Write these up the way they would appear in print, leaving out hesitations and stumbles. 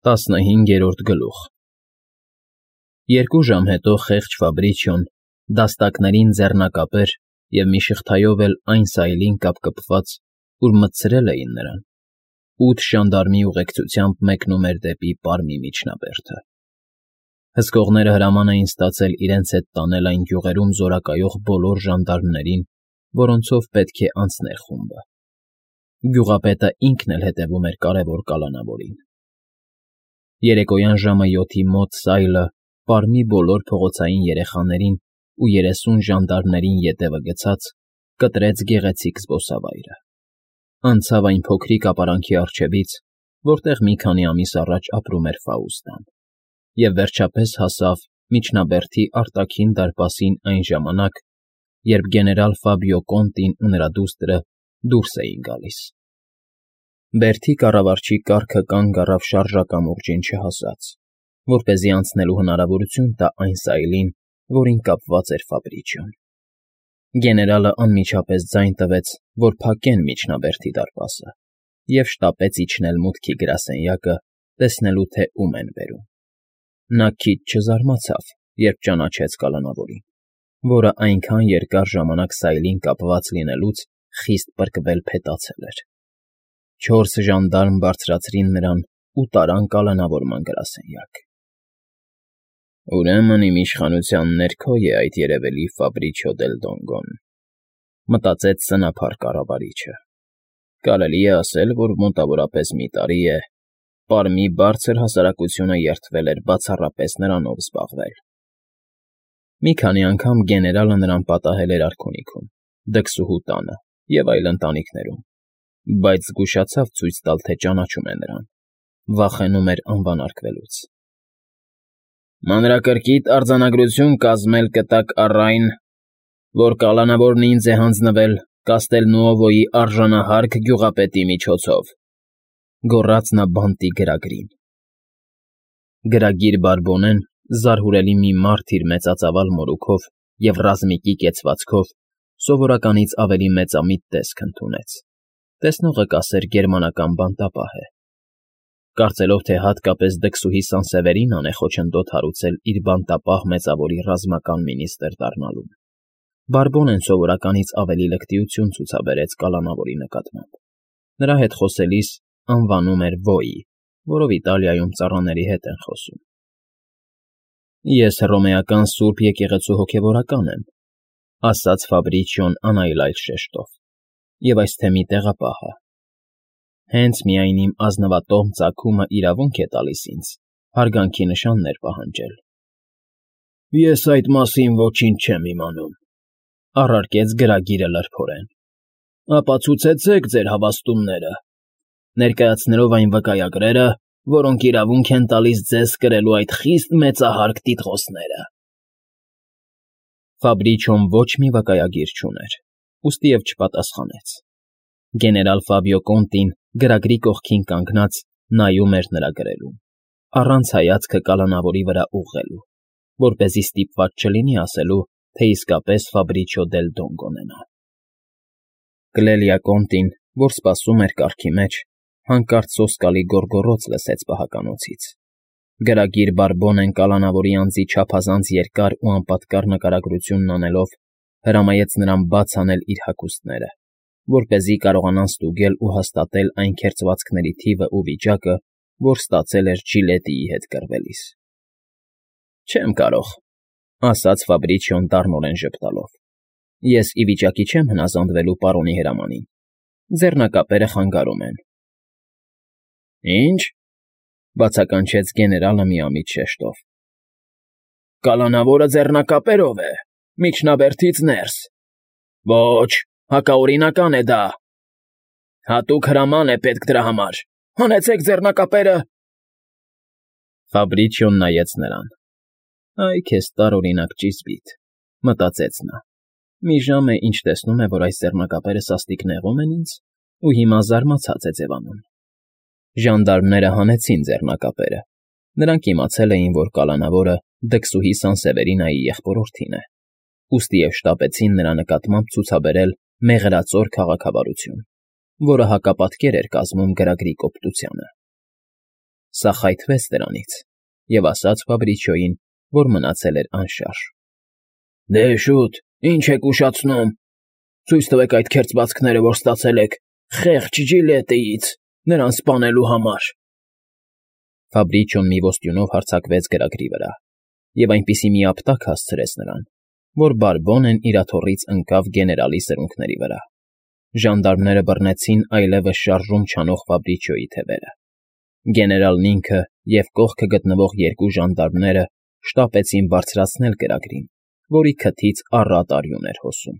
15-րդ գլուխ Երկու ժամ հետո խեղճ Ֆաբրիչիոն դաստակներին ձեռնակապեր և մի շղթայով էլ այն սայլին կապկպված, ուր մտցրել էին նրան, 8 ժանդարմի ուղեկցությամբ մեկնում էր դեպի Պարմի միջնաբերդը։ Հսկողները հրաման էին ստացել իրենց հետ տանել այն գյուղերում զորակայող բոլոր ժանդարմներին, որոնցով պետք է անցներ խումբը։ Գյուղապետը ինքն էլ հետևում էր կարևոր կալանավորին։ Երեկոյան ժամը 7-ի մոտ սայլը Պարմի բոլոր փողոցային երեխաներին ու 30 ժանդարմներին ետևը գցած կտրեց գեղեցիկ զբոսավայրը։ Անցավ այն փոքրիկ ապարանքի առջևից, որտեղ մի քանի ամիս առաջ ապրում էր Ֆաուստան, և վերջապես հասավ միջնաբերդի արտաքին դարպասին այն ժամանակ, երբ գեներալ Ֆաբիո Կոնտին ու նրա դուստրը դուրս էին գալիս։ Բերդի կառավարչի կառքը կանգ առավ շարժակամուրջին չհասած, որպեսզի անցնելու հնարավորություն տա այն սայլին, որին կապված էր Ֆաբրիչիոն։ Գեներալը անմիջապես ձայն տվեց, որ փակեն միջնաբերդի դարպասը, և շտապեց իջնել մուտքի գրասենյակը, տեսնելու, թե ում են բերում։ Նա քիչ չզարմացավ, երբ ճանաչեց կալանավորին, որը այնքան երկար ժամանակ սայլին կապված լինելուց խիստ պրկվել փետացել էր։ 4 ժանդարմ բարձրացրին նրան ու տարան կալանավորման գրասենյակ։ «Ուրեմն իմ իշխանության ներքո է այդ երևելի Ֆաբրիչիո դել Դոնգոն», մտածեց սնափառ կառավարիչը։ Կարելի է ասել, որ մոտավորապես մի տարի է Պարմի բարձր հասարակությունը երդվել էր բացառապես նրանով զբաղվել։ Մի քանի անգամ գեներալը նրան պատահել էր արքունիքում, դքսուհու տանը և այլ ընտանիքներում, բայց զգուշացավ ցույց տալ, թե ճանաչում է նրան, վախենում էր անվանարկվելուց։ «Մանրակրկիտ արձանագրություն կազմել կտակ առ այն, որ կալանավորն ինձ է հանձնվել Կաստելնուովոյի արժանահարկ գյուղապետի միջոցով», գոռաց նա բանտի գրագրին։ Գրագիր Բարբոնեն, զարհուրելի մի մարդ իր մեծածավալ մորուքով և ռազմիկի կեցվածքով, սովորականից ավելի մեծամիտ տեսք ընդունեց։ Տեսնողը կասեր գերմանական բանտապահ է։ Կարծելով, թե հատկապես դքսուհի Սանսևերինան է խոչընդոտ հարուցել իր բանտապահ մեծավորի ռազմական մինիստր դառնալուն, Բարբոնեն սովորականից ավելի լկտիություն ցուցաբերեց կալանավորի նկատմամբ։ Նրա հետ խոսելիս անվանում էր Վոյի, որով Իտալիայում ծառաների հետ են խոսում։ «Ես հռոմեական Սուրբ Եկեղեցու հոգևորական եմ», ասաց Ֆաբրիչիոն անայլայլ շեշտով, «և այս թեմի տեղապահը։ Հենց միայն իմ ազնվատոհ ծագումը իրավունք է տալիս ինձ հարգանքի նշաններ պահանջել»։ «Ես այդ մասին ոչինչ չեմ իմանում», առարկեց գրագիրը լրփորեն։ «Ապացուցեցեք ձեր հավաստումները, ներկայացնելով այն վկայագրերը, որոնք իրավունք են տալիս ձեզ կրելու այդ խիստ մեծահարկ տիտղոսները»։ Ֆաբրիչիոն ոչ մի վկայագիր չուներ, ուստի և չպատասխանեց։ Գեներալ Ֆաբիո Կոնտին գրագրի կողքին կանգնած նայում էր նրա գրելուն, առանց հայացքը կալանավորի վրա ուղղելու, որպեսզի ստիպված չլինի ասելու, թե իսկապես Ֆաբրիչիո դել Դոնգոն է նա։ Կլելիա Կոնտին, որ սպասում էր կառքի մեջ, հանկարծ սոսկալի գոռգոռոց լսեց պահականոցից։ Գրագիր Բարբոնեն կալանավորի անձի չափազանց երկար ու անպատկառ նկարագրությունն անելով հրամայեց նրան բաց անել իր հագուստները, որպեսզի կարողանան ստուգել ու հաստատել այն քերծվածքների թիվը ու վիճակը, որ ստացել էր Ջիլետիի հետ կռվելիս։ «Չեմ կարող», ասաց Ֆաբրիչիոն դառնորեն ժպտալով։ «Ես ի վիճակի չեմ հնազանդվելու պարոնի հրամանին։ Ձեռնակապերը խանգարում են»։ «Ի՞նչ», բացականչեց գեներալը միամիտ շեշտով։ «Կալանավորը ձեռնակապերով է, միջնաբերդից ներս։ Ոչ, հակաօրինական է դա։ Հատուկ հրաման է պետք դրա համար։ Հանեցեք ձեռնակապերը»։ Ֆաբրիչիոն նայեց նրան։ «Այ քեզ տարօրինակ ճիզբիտ», մտածեց նա։ «Մի ժամ է, ինչ տեսնում է, որ այս ձեռնակապերը սաստիկ նեղում են ինձ, ու հիմա զարմացած է ձևանում»։ Ժանդարմները հանեցին ձեռնակապերը։ Նրանք իմացել էին, որ կալանավորը դքսուհի Սանսևերինայի եղբորորդին է, ուստի և շտապեցին նրա նկատմամբ ցուցաբերել մեղրածոր քաղաքավարություն, որը հակապատկեր էր կազմում գրագրի կոպտությանը։ Սա խայթվեց դրանից և ասաց Ֆաբրիչիոյին, որ մնացել էր անշարժ. Դե շուտ, ինչ եք ուշացնում, ցույց տվեք այդ քերծվածքները, որ ստացել եք խեղճ Ջիլետիից, նրան սպանելու համար։ Ֆաբրիչիոն մի ոստյունով հարձակվեց գրագրի վրա և այնպիսի մի ապտակ հասցրեց նրան, որ Բարբոնեն իր աթոռից ընկավ գեներալի սրունքների վրա։ Ժանդարմները բռնեցին այլևս շարժում չանող Ֆաբրիչիոյի թևերը։ Գեներալն ինքը և կողքը գտնվող երկու ժանդարմները շտապեցին բարձրացնել գրագրին, որի քթից առատ արյուն էր հոսում։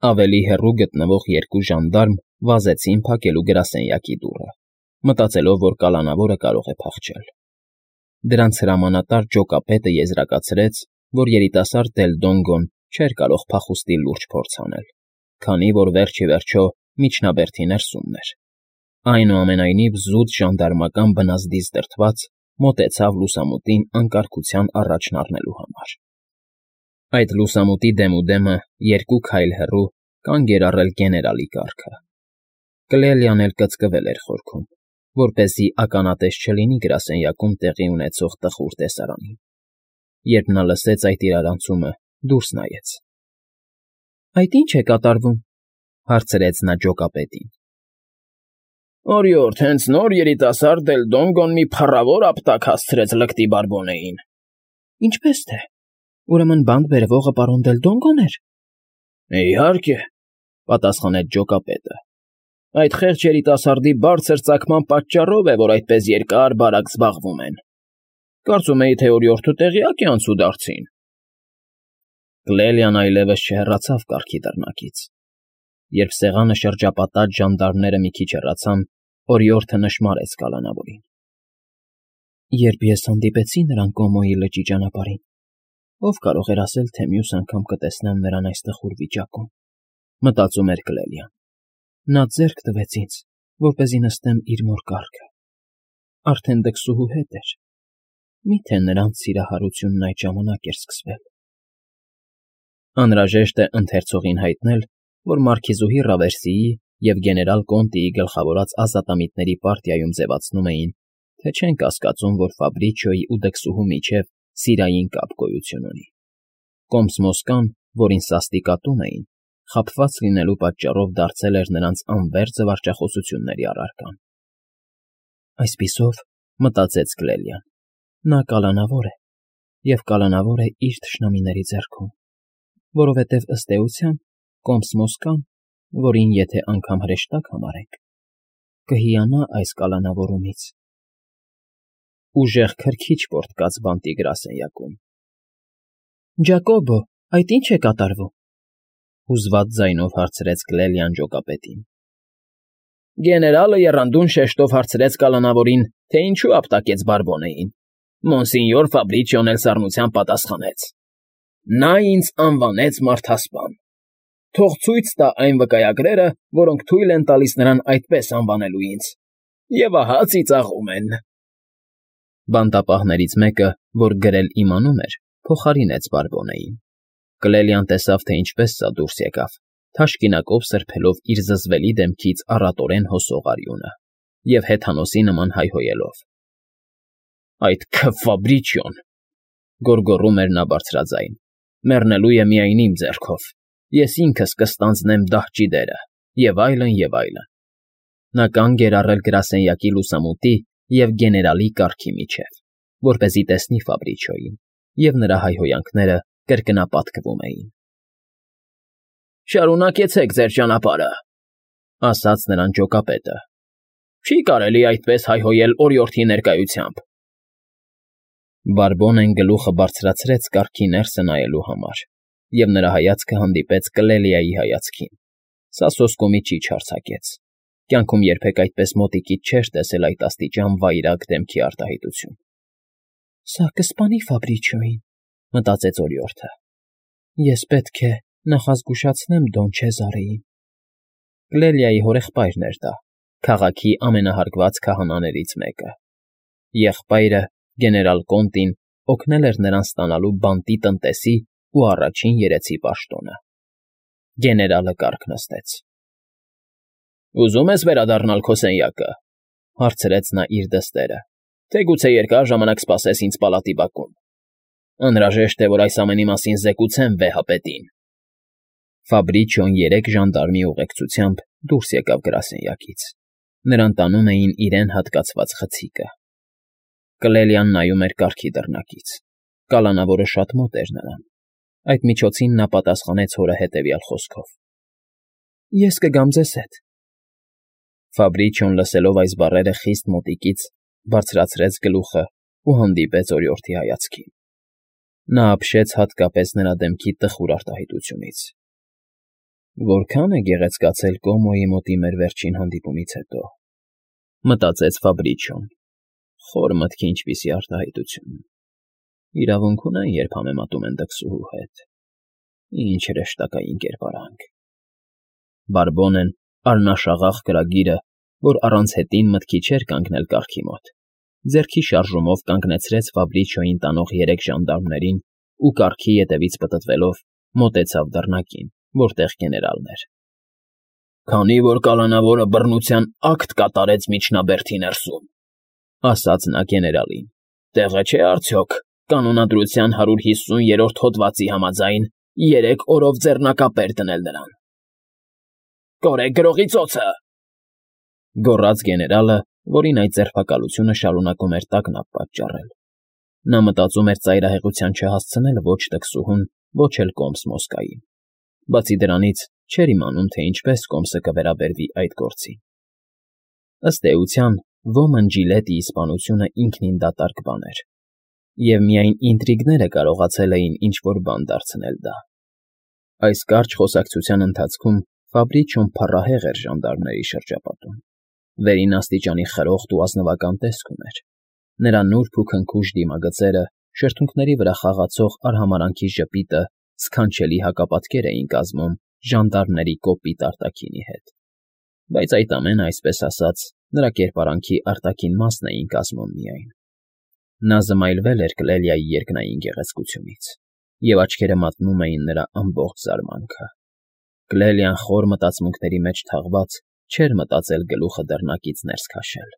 Ավելի հեռու գտնվող երկու ժանդարմ վազեցին փակելու գրասենյակի դուռը, մտածելով, որ կալանավորը կարող է փախչել։ Դրանց հրամանատար ջոկապետը եզրակացրեց, որ երիտասարդ Դելդոնգոն չէր կարող փախուստի լուրջ փորձ անել, քանի որ վերջ ի վերջո միջնաբերդի ներսումն էր։ Այնուամենայնիվ զուտ ժանդարմական բնազդից դրդված մոտեցավ լուսամուտին անկարգության առաջն առնելու համար։ Այդ լուսամուտի դեմուդեմը երկու քայլ հեռու կանգ էր առել գեներալի կառքը։ Կլելիան էլ կծկվել էր խորքում, որպեսզի ականատես չլինի գրասենյակում տեղի ունեցող տխուր տեսարանին։ Երբ նա լսեց այդ իրարանցումը, դուրս նայեց։ ֊ Այդ ի՞նչ է կատարվում,֊ հարցրեց նա ջոկապետին։ Օրիորդ, հենց նոր երիտասարդ Դելդոնգոն մի փառավոր ապտակ հասցրեց լկտի Բարբոնեին։ Ինչպե՞ս թե։ Ուրեմն բանտ բերվողը պարոն Դելդոնգոն էր։ Իհարկե, պատասխանեց ջոկապետը։ Այդ խեղճ երիտասարդի բարձր ծագման պատճառով է, որ այդպես երկար֊բարակ զբաղվում են։ Կարծում էի, թե օրիորդը տեղյակ է անցուդարձին։ Կլելիան այլևս չհեռացավ կառքի դռնակից։ Երբ սեղանը շրջապատած ժանդարմները մի քիչ հեռացան, օրիորդը նշմարեց կալանավորին։ Երբ ես հանդիպեցի նրան Կոմոյի լճի ճանապարհին, ով կարող էր ասել, թե մյուս անգամ կտեսնեմ նրան այս տխուր վիճակում, մտածում էր Կլելիան։ Նա ձեռք տվեց ինձ, որպեսզի նստեմ իր մոր կառքը։ Արդեն դքսուհու հետ էր։ Միթե նրանց սիրահարությունն այդ ժամանակ էր սկսվել։ Անհրաժեշտ է ընթերցողին հայտնել, որ մարքիզուհի Ռավերսիի և գեներալ Կոնտիի գլխավորած ազատամիտների պարտիայում ձևացնում էին, թե չեն կասկածում, որ Ֆաբրիչիոյի ու դքսուհու միջև սիրային կապ գոյություն ունի։ Կոմս֊Մոսկան, որին սաստիկատում էին, խաբված լինելու պատճառով դարձել էր նրանց անվերջ զվարճախոսությունների առարկան։ Այսպիսով, մտածեց Կլելիան, նա կալանավոր է, և կալանավոր է իր թշնամիների ձեռքում, որովհետև ըստ էության Կոմս֊Մոսկան, որին եթե անգամ հրեշտակ համարենք, կհիանա այս կալանավորումից։ Ուժեղ քրքիջ պոռթկաց բանտի գրասենյակում։ Ջակոբո, այդ ի՞նչ է կատարվում,֊ հուզված ձայնով հարցրեց Կլելիան ջոկապետին։ Գեներալը եռանդուն շեշտով հարցրեց կալանավորին, թե ինչու ապտակեց Բարբոնեին։ Մոնսինյոր Ֆաբրիչիոն էլ սառնությամբ պատասխանեց. Նա ինձ անվանեց մարդասպան։ Թող ցույց տա այն վկայագրերը, որոնք թույլ են տալիս նրան այդպես անվանելու ինձ։ Եվ ահա ծիծաղում են։ Բանտապահներից մեկը, որ գրել իմանում էր, փոխարինեց Բարբոնեին։ Կլելիան տեսավ, թե ինչպես սա դուրս եկավ, թաշկինակով սրբելով իր զզվելի դեմքից առատորեն հոսող արյունը և հեթանոսի նման հայհոյելով. Այդ Ֆաբրիչիոն,֊ գոռգոռում էր նա բարձրաձայն,֊ մեռնելու է միայն իմ ձեռքով, ես ինքս կստանձնեմ դահճի դերը, և այլն, և այլն։ Նա կանգ էր առել գրասենյակի լուսամուտի և գեներալի կառքի միջև, որպեսզի տեսնի Ֆաբրիչիոյին, և նրա հայհոյանքները կրկնապատկվում էին։ Շարունակեցեք ձեր ճանապարհը,֊ ասաց նրան ջոկապետը։ Չի կարելի այդպես հայհոյել օրիորդի ներկայությամբ։ Բարբոնեն գլուխը բարձրացրեց կառքի ներսը նայելու համար, և նրա հայացքը հանդիպեց Կլելիայի հայացքին։ Սա սոսկումից չի չարձակեց։ Կյանքում երբեք այդպես մոտիկից չէր տեսել այդ աստիճան վայրագ դեմքի արտահայտություն։ Սա կսպանի Ֆաբրիչիոյին, մտածեց օրիորդը։ Ես պետք է նախազգուշացնեմ Դոն Չեզարեին։ Կլելիայի հորեղբայրն էր դա, քաղաքի ամենահարգված քահանաներից մեկը։ Եղբայրը, գեներալ Կոնտին, օգնել էր նրան ստանալու բանտի տնտեսի ու առաջին երեցի պաշտոնը։ Գեներալը կառք նստեց։ Ուզում ես վերադառնալ քո սենյակը,֊ Հարցրեց նա իր դստերը։ Թե գուցե երկար ժամանակ սպասես ինձ պալատի բակում։ Անհրաժեշտ է, որ այս ամենի մասին զեկուցեմ վեհապետին։ Ֆաբրիչիոն 3 ժանդարմի ուղեկցությամբ դուրս եկավ գրասենյակից։ Նրան տանում էին իրեն հատկացված խցիկը։ Կլելիան նայում էր կառքի դռնակից։ Կալանավորը շատ մոտ էր նրան։ Այդ միջոցին նա պատասխանեց հորը հետևյալ խոսքով. Ես կգամ ձեզ հետ։ Ֆաբրիչիոն լսելով այս բառերը խիստ մոտիկից բարձրացրեց գլուխը ու հանդիպեց օրիորդի հայացքին։ Նա ապշեց հատկապես նրա դեմքի տխուր արտահայտությունից։ Որքան է գեղեցկացել Կոմոյի մոտի մեր վերջին հանդիպումից հետո, մտածեց Ֆաբրիչիոն։ Խոր մտքի ինչպիսի արտահայտություն։ Իրավունք ունեն, երբ համեմատում են դքսուհու հետ։ Ինչ հրեշտակային կերպարանք։ Բարբոնեն, առնաշաղախ կրագիրը, որ առանց հետին մտքի չէր կանգնել կառքի մոտ, ձեռքի շարժումով կանգնեցրեց Ֆաբրիչիոյին տանող 3 ժանդարմներին ու կառքի ետևից պտտվելով մոտեցավ դռնակին, որտեղ գեներալն էր։ Քանի որ կալանավորը բռնության ակտ կատարեց միջնաբերդի ներսում, ասաց նա գեներալին, տեղը չէ արդյոք կանոնադրության 150-րդ հոդվածի համաձայն 3 օրով ձեռնակապեր դնել նրան։ Կորեք գրողի ծոցը, գոռաց գեներալը, որին այդ ձերբակալությունը շարունակում էր տագնապ պատճառել։ Նա մտածում էր ծայրահեղության չհասցնել ոչ տքսուհուն, ոչ էլ Կոմս Մոսկային։ Բացի դրանից, չէր իմանում, թե ինչպես Կոմսը կվերաբերվի այդ գործին։ Ըստ էության, ոմն Ջիլետի իսպանությունը ինքնին դատարկ բան էր, և միայն ինտրիգները կարողացել էին ինչ-որ բան դարձնել դա։ Այս կարճ խոսակցության ընթացքում Ֆաբրիչիոն փառահեղ էր ժանդարմների շրջապատում։ Վերին աստիճանի խրոխտ ու ազնվական տեսք ուներ։ Նրա նուրբ ու քնքուշ դիմագծերը, շրթունքների վրա խաղացող արհամարանքի ժպիտը սքանչելի հակապատկեր էին կազմում ժանդարմների կոպիտ արտաքինի հետ։ Բայց այդ ամենը, այսպես ասած, նրա կերպարանքի արտաքին մասն էին կազմում միայն։ Նա զմայլվել էր Կլելիայի երկնային գեղեցկությունից, և աչքերը մատնում էին նրա ամբողջ զարմանքը։ Կլելիան խոր մտածմունքների մեջ թաղված չէր մտածել գլուխը դռնակից ներս քաշել։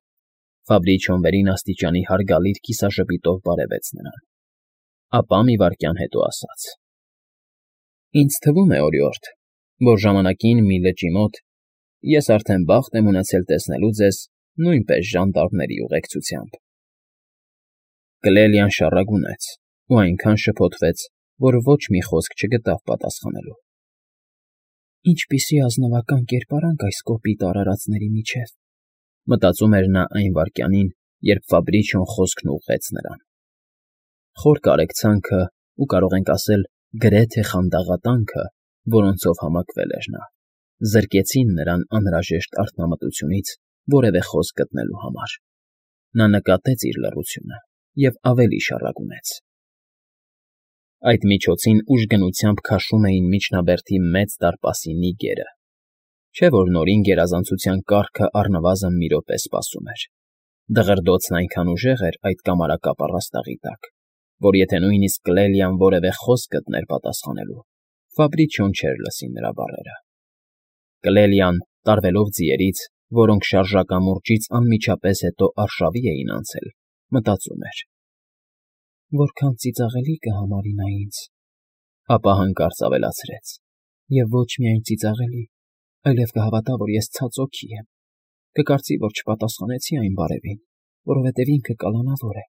Ֆաբրիչիոն վերին աստիճանի հարգալից կիսաժպիտով բարևեց նրան։ Ապա մի վայրկյան հետո ասաց. Ինձ թվում է, օրիորդ, որ ժամանակին մի լճի մոտ ես արդեն բախտ եմ ունեցել տեսնելու ձեզ նույնպես ժանդարմների ուղեկցությամբ։ Կլելիան շառագունեց ու այնքան շփոթվեց, որ ոչ մի խոսք չգտավ պատասխանելու։ Ինչպիսի ազնվական կերպարանք այս կոպիտ արարածների միջև, մտածում էր նա այն վայրկյանին, երբ Ֆաբրիչիոն խոսքն ուղղեց նրան։ Խոր կարեկցանքը ու կարող ենք ասել գրեթե խանդաղատանքը, որոնցով համակվել էր նա, զրկեցին նրան անհրաժեշտ արթնամտությունից որևէ խոսք գտնելու համար։ Նա նկատեց իր լռությունը և ավելի շառագունեց։ Այդ միջոցին ուժգնությամբ քաշում էին միջնաբերդի մեծ դարպասի նիգերը։ Չէ՞ որ նորին գերազանցության կարգը առնվազն մի րոպե սպասում էր։ Դղրդոցն այնքան ուժեղ էր այդ կամարակապ առաստաղի տակ, որ եթե նույնիսկ Կլելիան որևէ խոսք գտներ պատասխանելու, Ֆաբրիչիոն չէր լսի նրա բառերը։ Կլելիան, տարվելով ձիերից, որոնք շարժակամուրջից անմիջապես հետո արշավի էին անցել, մտածում էր. Որքան ծիծաղելի կհամարի նա ինձ, ապա հանկարծ ավելացրեց. և ոչ միայն ծիծաղելի, այլև կհավատա, որ ես ցած օքի եմ, կկարծի, որ չպատասխանեցի այն բարևին, որովհետև ինքը կալանավոր է,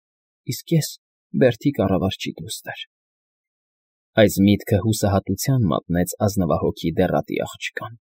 իսկ ես բերդի կառավարչի դուստր։ Այս միտքը հուսահատության մատնեց ազնվահոգի դեռատի աղջկան։